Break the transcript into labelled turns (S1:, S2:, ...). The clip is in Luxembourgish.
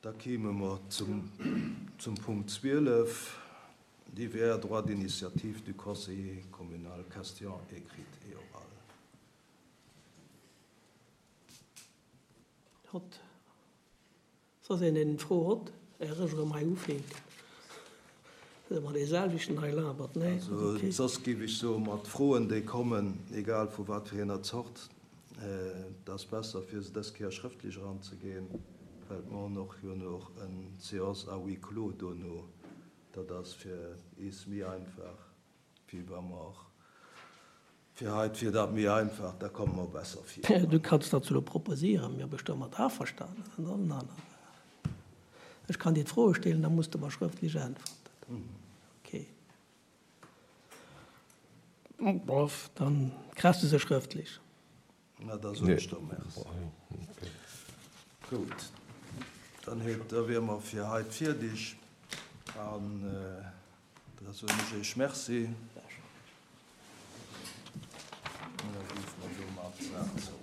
S1: Da kéime mer zum Punkt 12, Divers droits d'initiative du conseiller communal, questions écrites et orales.
S2: Hott, soss een een Fro hott, är ech erëm hei ufänken, ass ëmmer dee selwechten hei labert, nee?
S1: Also soss géif ech soen, mat Froen déi kommen, egal vu wat fir enger Zort, et ass besser fir se dës Kéier schrëftlech eranzegeen, well mer hunn och jo nach en Séance à huis clos dono, dat ass fir eis méi einfach wéi wa mer Fir hei wier dat méi einfach, da komme mer besser
S2: vir. Du kanns dat elo proposéieren, mir bist domat averstanen, dat ass en aner Saach. Ech kann dir d'Froe stellen, da muss de mer schrëftlech äntwerten. Ok. Bof, dann kriss de se schrëftlech.
S1: Na, da soen ech der Merci. Gutt, dann huet, da wiere mer fir haut fierdeg an da soen ech Iech Merci. An da géife mer domat d'Saach zou.